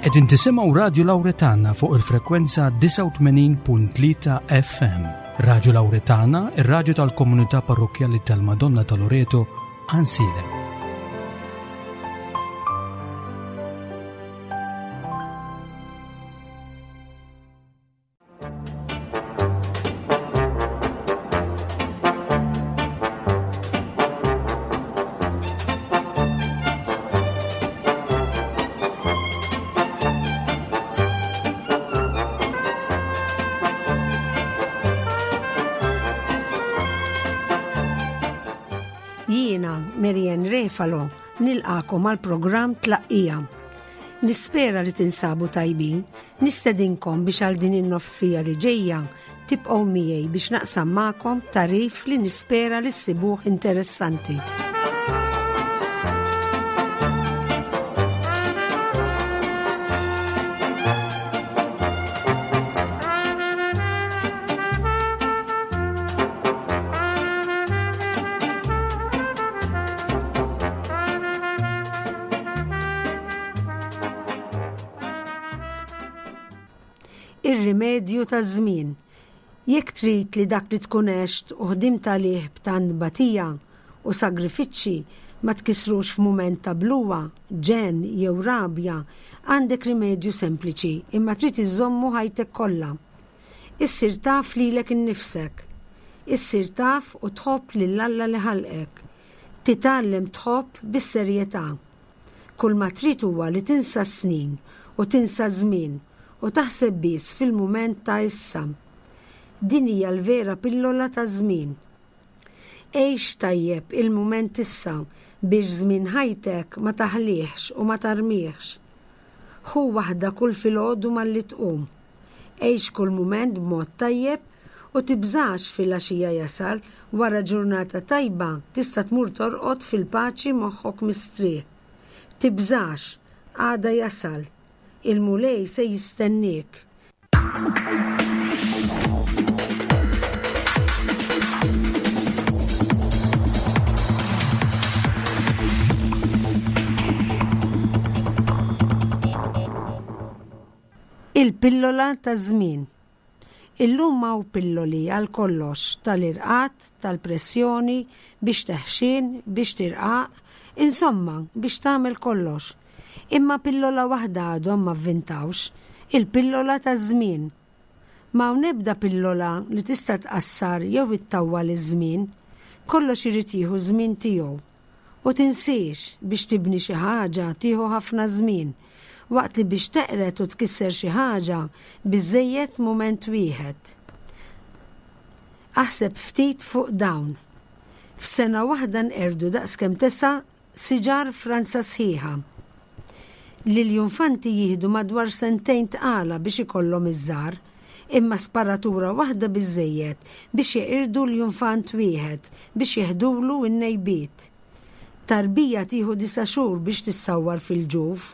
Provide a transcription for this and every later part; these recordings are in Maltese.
Qegħdin tisimgħu Radju Lawretana fuq il-frekwenza 89.3 FM. Radju Lawretana, ir-radju tal-komunità parrokkjali tal-Madonna ta' Loreto, Ansiedem. Jiena, Marianne Refalo, nilqakom għal programm Tlaqqija. Nispera li tinsabu tajbin, nistedinkom biex għal din in-nofsija li ġejja tibqgħu miegħi biex naqsam magħkom tagħrif li nispera li ssibuh interessanti. Ir-rimedju taż-żmien. Jekk trid li dak li tkun għext u ħdimt għalih b'tant tbatija u sagrifiċċji ma tkissrux f'mument ta' bluha, ġenn jew rabja, għandek rimedju sempliċi imma trid iżżommu ħajtek kollha. Issir taf lilek innifsek. Issir taf u tħobb lil Alla li ħalqek. Titgħallem tħobb bis-serjetà. Kulma trid huwa li tinsa s-snin u tinsa ż-żmien u taħseb biss fil-mument ta' issa. Din hija l-vera pillola taż-żmien. Għix tajjeb il-mument issa biex żmien ħajtek ma taħlihx u ma tarmihx. Ħu waħda kull filgħodu malli tqum. Għix kull mument b'mod tajjeb u tibżax filgħaxija jasal, wara ġurnata tajba tista' tmur torqod fil-paċi moħħok mistrieħ. Tibżax, għada jasal. Il-Mulej se jistenniek. Il-pillola taż-żmien. Illum hawn pilloli għal kollox, tal-irqad, tal-pressjoni, biex teħxien, biex tirqaq, insomma, biex tagħmel kollox. Imma pillola waħda għadhom ma vvintawx, il-pillola taż-żmien. M'hawn ebda pillola li tista' tqassar jew ittawwal iż-żmien. Kollox irid jieħu ż-żmien tiegħu. U tinsiex, biex tibni xi ħaġa tieħu ħafna żmien, waqt li biex teqred u tkisser xi ħaġa biżżejjed mument wieħed. Aħseb ftit fuq dawn. F'sena waħda nqerdu daqskemm tesa' siġar Franza sħiħa. L-iljunfanti jieħdu madwar sentejn tqala biex ikollhom iż-żgħar. Imma sparatura waħda biżżejjed biex jeqirdu ljunfant wieħed biex jeħdulu n-nejbiet. Tarbija tieħu disa' xhur biex tissawwar fil-ġuf.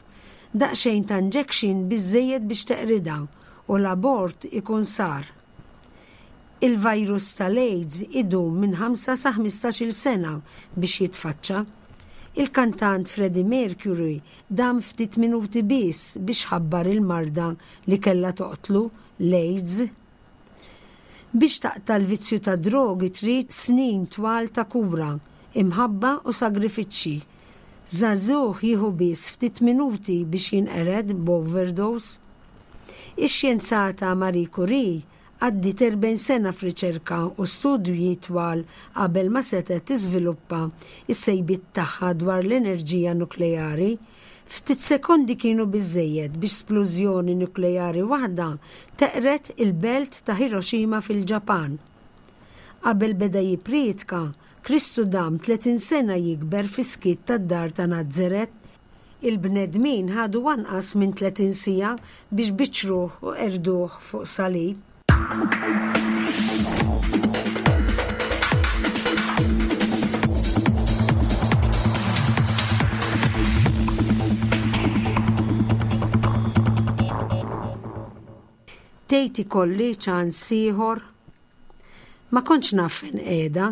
Daqsxejn ta' injection biżżejjed biex teqridha u l-abort ikun sar. Il-virus tal-AIDS idum minn ħamsa sa ħmistax-il sena biex jitfaċċa. Il-kantant Freddie Mercury dam ftit minuti biss biex ħabbar il-marda li kellha toqtlu, l-AIDS. Biex taqta' l-vizzju tad-drogi trid snin twal ta' kura, imħabba u sagrifiċċji. Żagħżugħ jieħu biss ftit minuti biex jinqered b'overdose. Ix-xjenzata Marie Curie Għaddiet 40 sena f'riċerka u studji twal qabel ma setgħet tiżviluppa s-sejbiet tagħha dwar l-enerġija nukleari. Ftit sekondi kienu biżżejjed biex splużjoni nukleari waħda teqred il-belt ta' Hiroshima fil-Ġapan. Qabel beda jipprietka, Kristu dam 30 sena jikber fis-skiet tad-dar ta' Nazaret. Il-bnedmin ħadu anqas minn 30 siegħa biex biċċruh u qerduh fuq salib. Tgħid ikolli ċans ieħor? Ma kontx naf fejn qiegħda.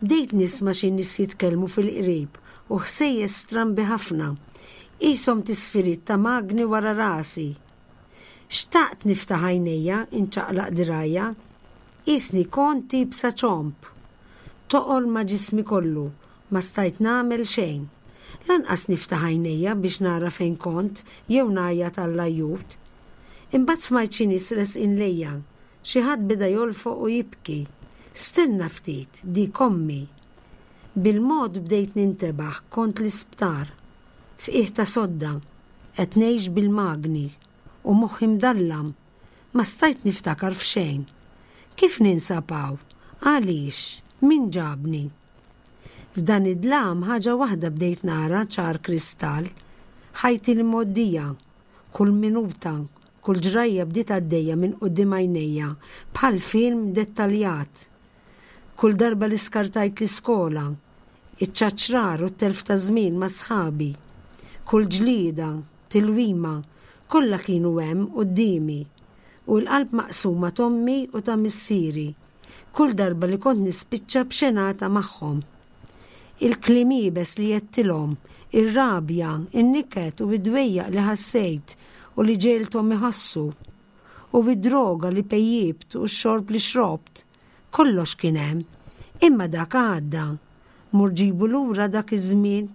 Bdejt nisma' xi nies jitkellmu fil-qrib u ħsejjes strambi ħafna. Qishom tisfiriet ta' magni wara rasi. Xtaqt niftaħ għajnejja, inċaqlaq dirgħajja. Qisni kont iebsa ċomb. Toqol ma' ġismi kollu, ma stajt nagħmel xejn. Lanqas niftaħ għajnejja biex nara fejn kont jew ngħajjat għall-ajjut. Imbagħad smajt xi nies resqin lejja. Xi ħadd beda jolfoq u jibki. Stenna ftit, dik ommi. Bil-mod bdejt nintebaħ kont l-isptar. F'qiegħ ta' sodda. Qed ngħix bil-magni. U moħħi mdallam. Ma stajt niftakar f'xejn. Kif ninsab hawn? Għaliex? Min ġabni? F'dan id-dlam ħaġa waħda bdejt nara ċar kristall, ħajti l-imgħoddija. Kull minuta, kull ġrajja bdiet għaddejja minn quddiem għajnejja bħal film dettaljat. Kull darba li skartajt l-iskola, iċ-ċaċrar u t-telf ta' żmien ma' sħabi, kull ġlieda, tilwima, kollha kienu hemm quddiemi. U l-qalb maqsuma t'ommi u ta' missieri, kull darba li kont nispiċċa b'xenata magħhom. Il-kliem iebes li għedtilhom, ir-rabja, in-niket u d-dwejjaq li ħassejt u li ġegħelthom iħossu, u d-droga li pejjipt u x-xorb li xrobt, kollox kien hemm. Imma dak għadda. Mur ġibu lura dak iż-żmien.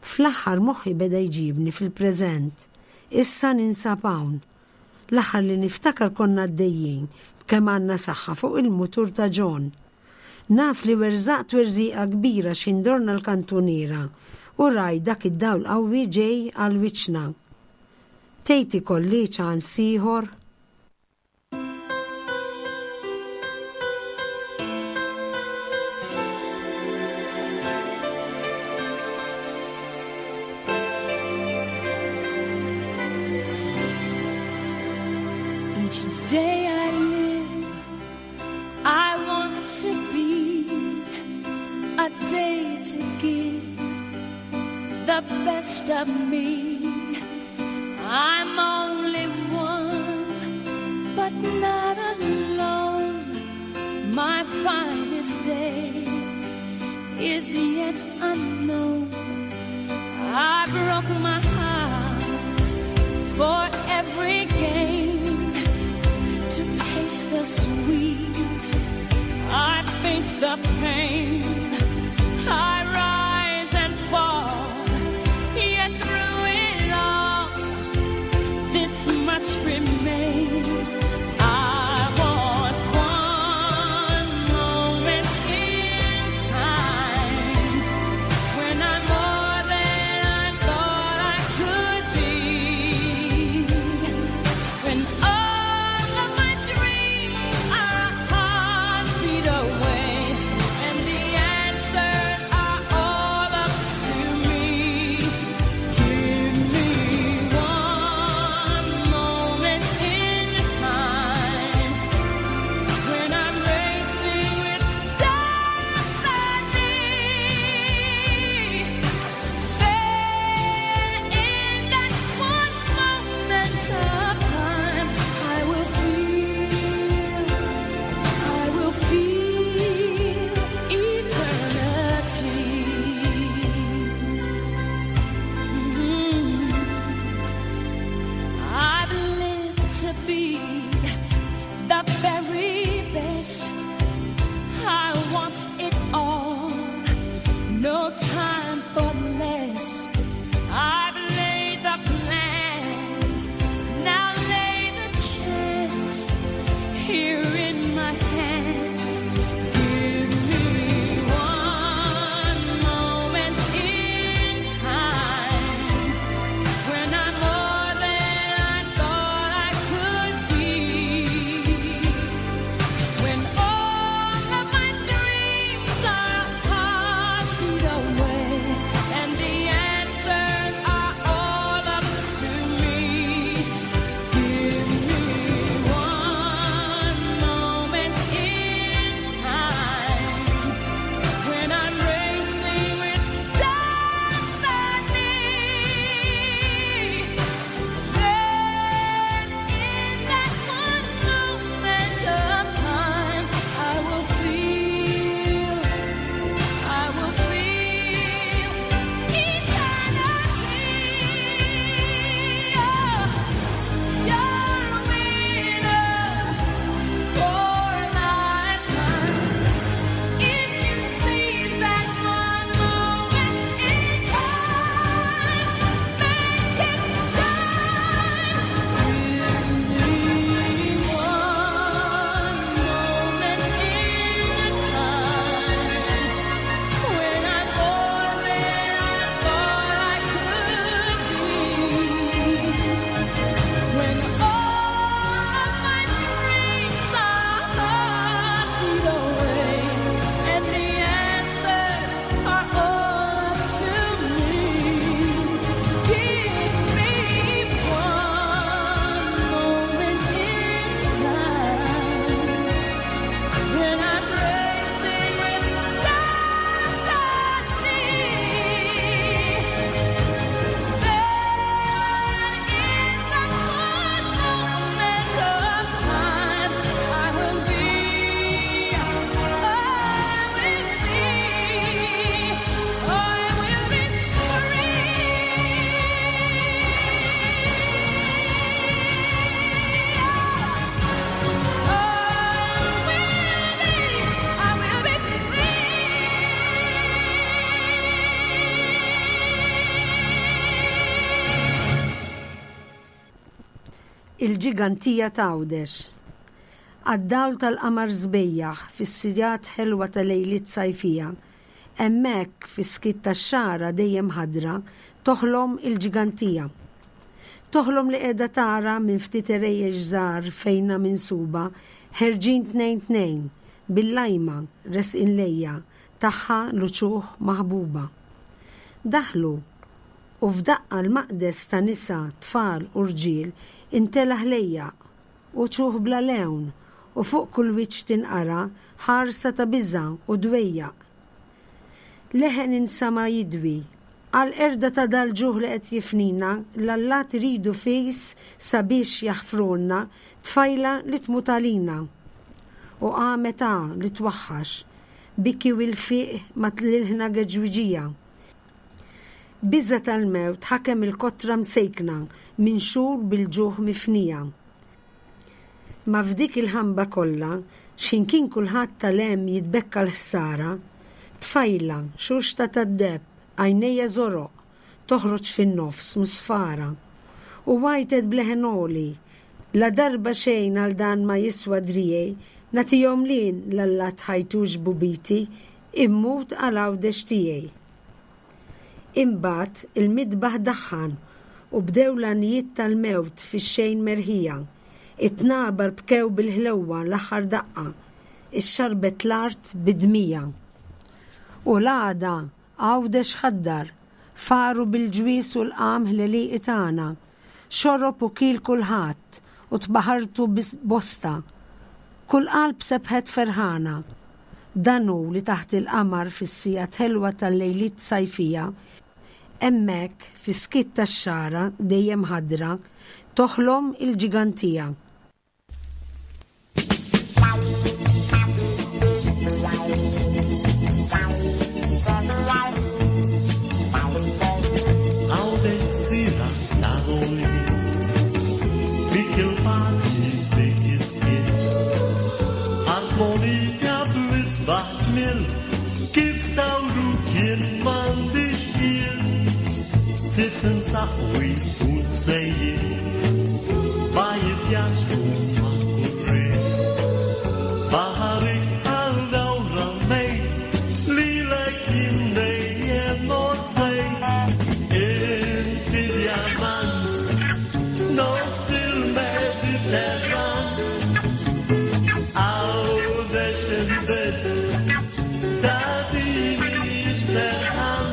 Fl-aħħar moħħi beda jġibni fil-preżent. Issa ninsab hawn. L-aħħar li niftakar konna għaddejjin b'kemm għandna saħħa fuq il-mutur ta' John. Naf li werżaqt werżieqa kbira x'ħin dorna l-kantuniera u rajt dak id-dawl qawwi ġej għal wiċċna. Tgħid ikolli ċans ieħor? Each day I live, I want to be a day to give the best of me. I'm only one, but not alone. My finest day is yet unknown. I broke my heart for every gain to taste the sweet. I face the pain. I rise and fall. Yet through it all, this much remains. I want one moment in time when I'm more than I thought I could be. When all of my dreams are a heartbeat away, and the Il-ġigantija t'Għawdex. Għad-dawl tal-qamar sbejjaħ fis-sigħat ħelwa ta' lejliet sajfija, hemmhekk fis-skiet tax-xagħra dejjem ħadra, toħlom il-ġigantija. Toħlom li qiegħda tara minn ftit għerejjex żgħar fejnha minsuba, ħerġin tnejn tnejn, bil-lajma, resqin lejja, tagħha l-uċuħ maħbuba. Daħlu, u f'daqqa l-maqdes ta' nisa, tfal u rġiel intela' ħlejjaq, uċuħ bla lewn, u fuq kull wiċċ tinqara ħarsa ta' biża' u dwejjaq. Leħen insama' jidwi, Għall-qerda ta' dal-ġuħ li qed jifnina, l-allat iridu fis sabiex jaħfrulna tfajla li tmut għalina. U qamet għa li twaħħax, biki u ilfiq ma' tlilħna geġwiġija. Biża' tal-mewt ħakem il-kotra msejkna minn xhur bil-ġuħ mifnija. Ma f'dik il-ħamba kollha, x'ħin kien kulħadd tal-hemm jitbekka l-ħsara, tfajla, xuxta tad-deheb, għajnejha żoroq, toħroġ fin-nofs musfara. U għajtet b'leħen għoli, La darba xejn għal dan ma jiswa driegħi, nagħtihom lien l-allat ħajtux bubiti, immut għal Għawdex tiegħi. Imbagħad il-midbaħ daħħan u bdew l-għanjiet tal-mewt fix-xejn merħija. It-tnabar bkew bil-ħlewwa l-aħħar daqqa, ixxarrbet l-art bid-dmija. U l-għada Għawdex ħaddar, faru bil-ġwież u l-qamħ l-għelieqi tagħna. Xorob u kiel kulħadd u tbaħartu bosta. Kull qalb sebħet ferħana. Dan hu li taħt il-qamar fis-sigħat ħelwa tal-lejliet sajfija, hemmhekk fis-skiet tax-xagħra dejjem ħadra, toħlom il-ġigantija. Saqwi u sejjid Bajiet jaġbu ma' kurri Baħarik għal dawra mej Lilek jimdejjem nosej Inti diamant Nofs il-Mediterran Għawdex imbiss Tatini serħan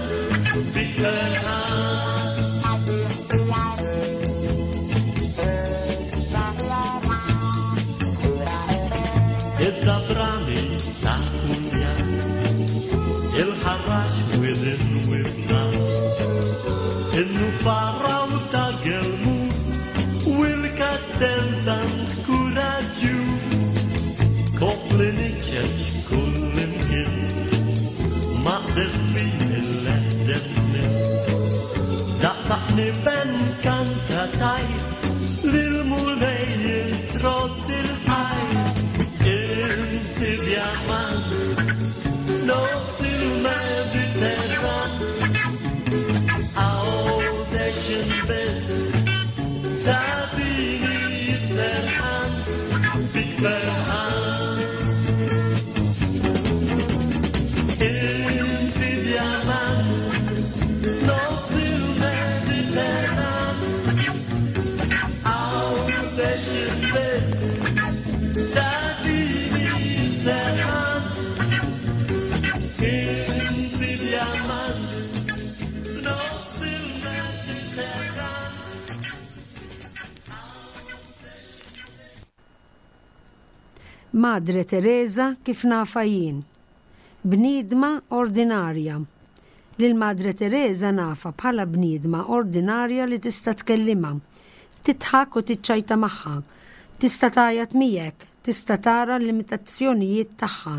Bik ferħan Id-dabrani ta' kulja Il-ħarrax widin wibla In-nufarra u ta' gelmus U l-kastel tant kuraġġjuż Kopli niċċeċ kull imkien Maqdes kbir il-eqdem żmien Daqtaqni ben kanta tajt Lil Mulej intrott il-ħaj Inti diamant Nofs il-Mediterran Għawdex imbiss Tatini serħan Bik ferħan Inti diamant Nofs il-Mediterran Għawdex imbiss Tatini serħan Inti diamant Nofs il-Mediterran Madre Teresa kif nafha jien. Bniedma ordinarja. Lil Madre Teresa nafha bħala bniedma ordinarja li tista' tkellimha, tidħak u tiċċajta magħha, tista' tgħajjat miegħek, tista' tara l-limitazzjonijiet tagħha.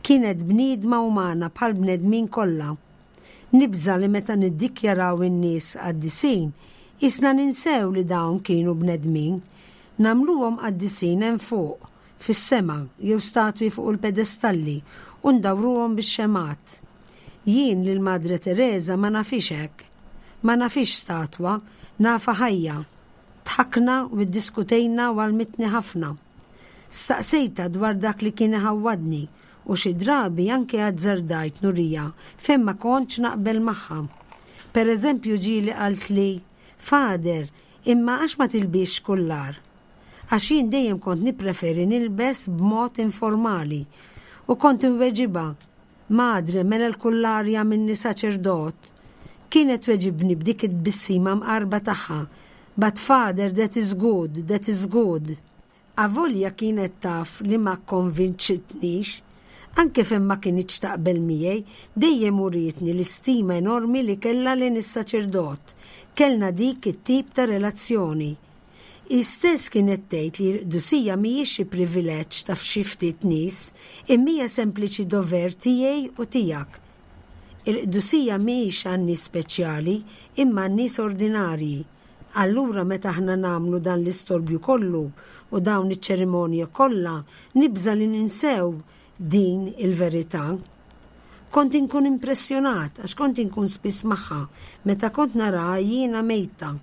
Kienet bniedma umana bħall-bnedmin kollha. Nibża' li meta niddikjaraw in-nies qaddisin, qisna ninsew li dawn kienu bnedmin. Nagħmluhom qaddisin hemm fuq, fis-sema, jew statwi fuq il-pedestalli u ndawruhom bix-xemgħat. Jien lil Madre Teresa ma nafhiex hekk. Ma nafhiex statwa, nafha ħajja. Dħakna u iddiskutejna u għallmitni ħafna. Staqsejtha dwar dak li kien iħawwadni u xi drabi anke azzardajt nuriha fejn ma kontx naqbel magħha. Per eżempju ġieli qaltli, Father, imma għax ma tilbisx kullar? Għax jien dejjem kont nippreferi nilbes b'mod informali. U kont inweġibha, Madre, mela l-kullar jagħmilni saċerdot? Kienet tweġibni b'dik it-tbissima mqarba tagħha, But father, that is good, that is good. Avolja kienet taf li ma kkonvinċitnix, anke fejn ma kinitx taqbel miegħi, dejjem urietni l-istima enormi li kellha lejn is-saċerdot. Kellna dik it-tip ta' relazzjoni. Hi stess kienet tgħid li l-qdusija mhijiex xi privileġġ ta' f'xi ftit nies, imma hija sempliċi dover tiegħi u tiegħek. Il-qdusija mhijiex għan-nies speċjali, imma għan-nies ordinarji. Allura meta aħna nagħmlu dan l-istorbju kollu u dawn iċ-ċerimonji kollha, nibża' li ninsew din il-verità. Kont inkun impressjonat għax kont inkun spiss magħha meta kont naraha jiena mejta,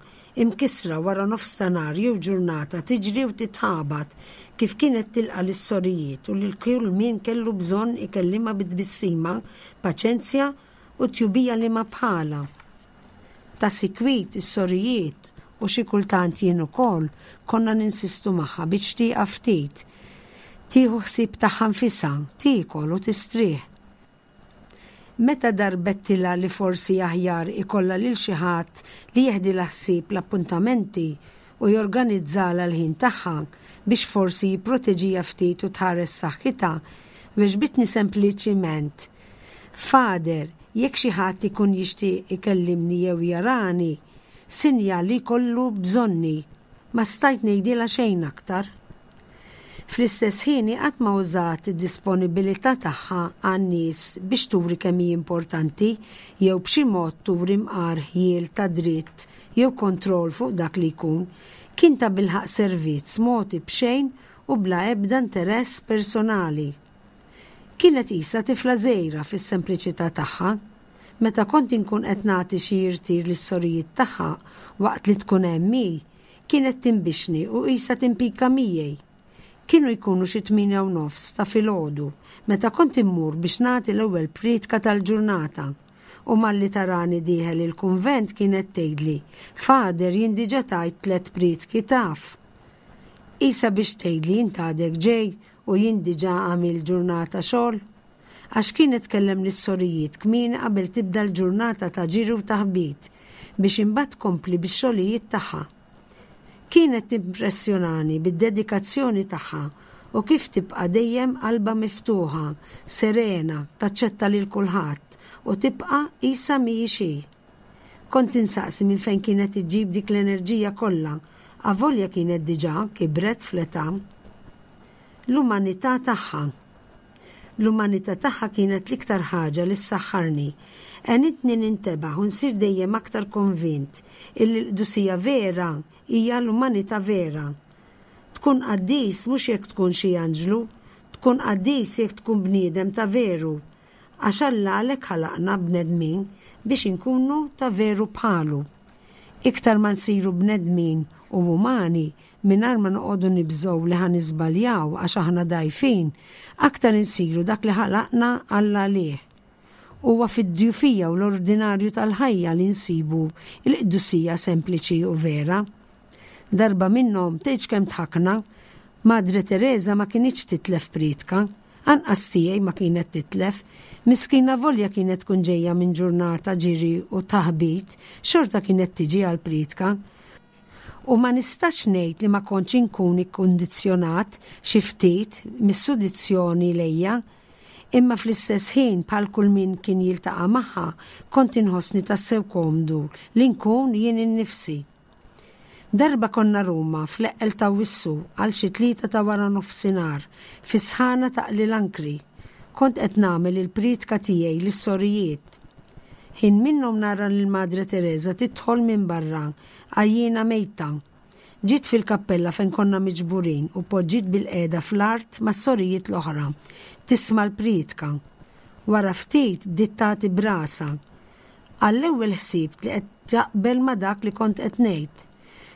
imkissra wara nofs ta' nhar jew ġurnata tiġri u titħabat, kif kienet tilqa' lis-sorijiet u lil kull min kellu bżonn ikellimha bi tbissima, paċenzja u tjubija liema bħalha. Ta' sikwit is-sorijiet u xi kultant jien ukoll konna ninsistu magħha biex tieqaf ftit, tieħu ħsieb tagħha nfisha, tiekol u tistrieħ. Meta darbettilha li forsi aħjar ikollha lil xi ħadd li jeħdilha ħsieb l-appuntamenti u jorganizzalha l-ħin tagħha biex forsi jipproteġiha ftit u tħares saħħitha, weġbitni sempliċiment, Father, jekk xi ħadd ikun jixtieq ikellimni jew jarani, sinjal li jkollu bżonni. Ma stajt ngħidilha xejn aktar. Fl-istess ħin hi qatt ma użat id-disponibilità tagħha għan-nies biex turi kemm hi importanti jew b'xi mod turi mqar ħjiel ta' dritt jew kontroll fuq dak li jkun. Kien tabilħaqq servizz mogħti b'xejn u bla ebda interess personali. Kienet qisha tifla żgħira fis-sempliċità tagħha. Meta kont inkun qed nagħti xi irtir lis-sorijiet tagħha waqt li tkun hemm hi, kienet tinbixni u qisha timpika miegħi. Kienu jkunu xi 8:30 ta' filgħodu meta kont immur biex nagħti l-ewwel prietka tal-ġurnata. U malli tarani dieħel il-kunvent kienet tgħidli, Father jien diġà tajt tlett prietki taf. Qisha biex tgħidli int għadek ġej u jien diġà għamilt ġurnata xogħol? Għax kienet tkellem lis-sorijiet kmieni qabel tibda l-ġurnata ta' ġiri u taħbit biex imbagħad tkompli bix-xogħlijiet tagħha. Kienet timpressjonani bid-dedikazzjoni tagħha u kif tibqa' dejjem qalbha miftuħa, serena, taċċetta lil kulħadd u tibqa' qisha mhijiex hi. Kont insaqsi minn fejn kienet iġġib dik l-enerġija kollha, avolja kienet diġà kibret fl-età. L-umanità tagħha. L-umanità tagħha kienet l-iktar ħaġa li ssaħħarni. Għenitni nintebaħ u nsir dejjem aktar konvint illi l-qdusija vera hija l-umanità vera. Tkun qaddis mhux jekk tkun xi anġlu, tkun qaddis jekk tkun bniedem ta' veru, Għax Alla għalhekk ħalaqna bnedmin biex inkunu ta' veru bħalu. Iktar ma nsiru bnedmin u umani mingħajr ma noqogħdu nibżgħu li ħa niżbaljaw għax aħna dgħajfin, aktar insiru dak li ħalaqna Alla għalih. Huwa fid-djufija u l-ordinarju tal-ħajja li nsibu l-qdusija sempliċi u vera. Darba minnhom tgħidx kemm dħakna, Madre Tereża ma kinitx titlef prietka. Anqas tiegħi ma kienet titlef. Miskina avolja kienet tkun ġejja minn ġurnata ġiri u taħbit, xorta kienet tiġi għall-prietka. U ma nistax ngħid li ma kontx inkun ikkundizzjonat xi ftit mis-sudizzjoni lejja. Imma fl-istess ħin bħal kull min kien jiltaqa' magħha kont inħossni tassew komdu li nkun jien innifsi. Darba konna Ruma fl-eqqel t'Awwissu għal xi tlieta ta' wara nofsinhar, fis-sħana taqli l-ankri. Kont qed nagħmel il-prietka tiegħi lis-sorijiet. Ħin minnhom nara lil Madre Tereża tidħol minn barra, għajjiena mejta. Ġiet fil-kappella fejn konna miġburin u poġġiet bilqiegħda fl-art mas-sorijiet l-oħra, tisma' l-prietka. Wara ftit bdiet tagħti b'rasha. Għall-ewwel ħsibt li qed taqbel ma' dak li kont qed ngħid.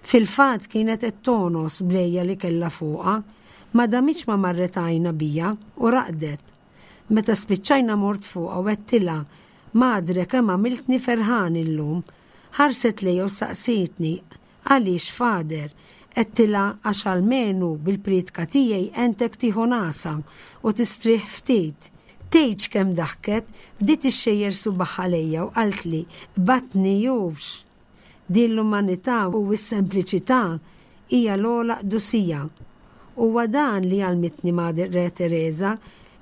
Fil-fatt kienet qed togħnos bl-għejja li kellha fuqha. Ma damitx ma marret għajnha bija u raqdet. Meta spiċċajna mort fuqha u għedtilha, Madre kemm għamiltni ferħan illum. Ħarset lejja u saqsietni, Għaliex, Father? Għedtilha għax almenu bil-prietka tiegħi għentek tieħu nagħsa u tistrieħ ftit. Tgħidx kemm daħket, bdiet ixxejjer subagħha lejja u qaltli, Qbadtni hux! Din l-umanità u s-sempliċità hija l-ogħla qdusija. Huwa dan li għallmitni Madre Tereża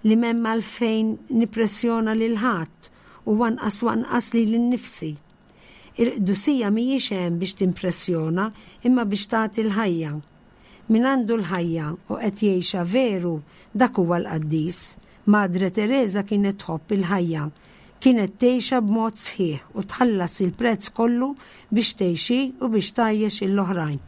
li m'hemm għalfejn nippressjona lil ħadd u anqas u anqas lili nnifsi. Il-qdusija mhijiex hemm biex timpressjona imma biex tagħti l-ħajja. Min għandu l-ħajja u qed jgħixha veru dak huwa l-qaddis. Madre Tereża kienet tħobb il-ħajja. Kienet tgħixha b'mod sħiħ u tħallas il-prezz kollu biex tgħix hi u biex tgħajjex lill-oħrajn.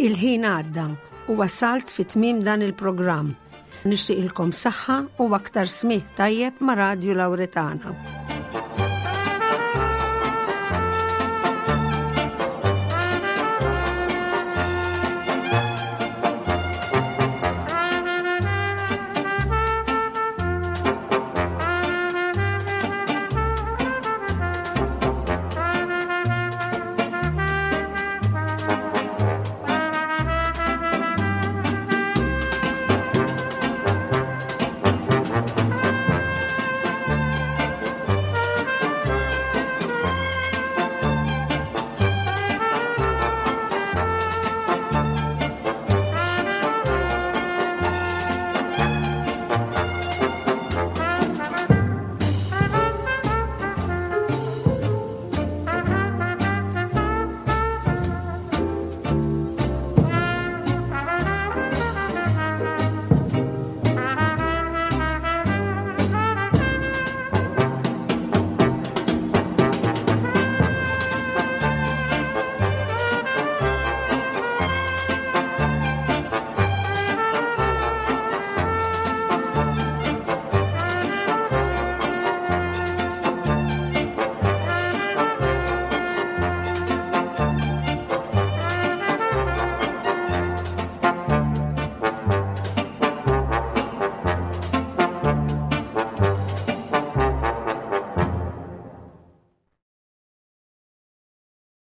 Il-ħin għadda u wasalt fi tmiem dan il-programm. Nixtieqilkom saħħa u aktar smigħ tajjeb ma' Radju Lawretana.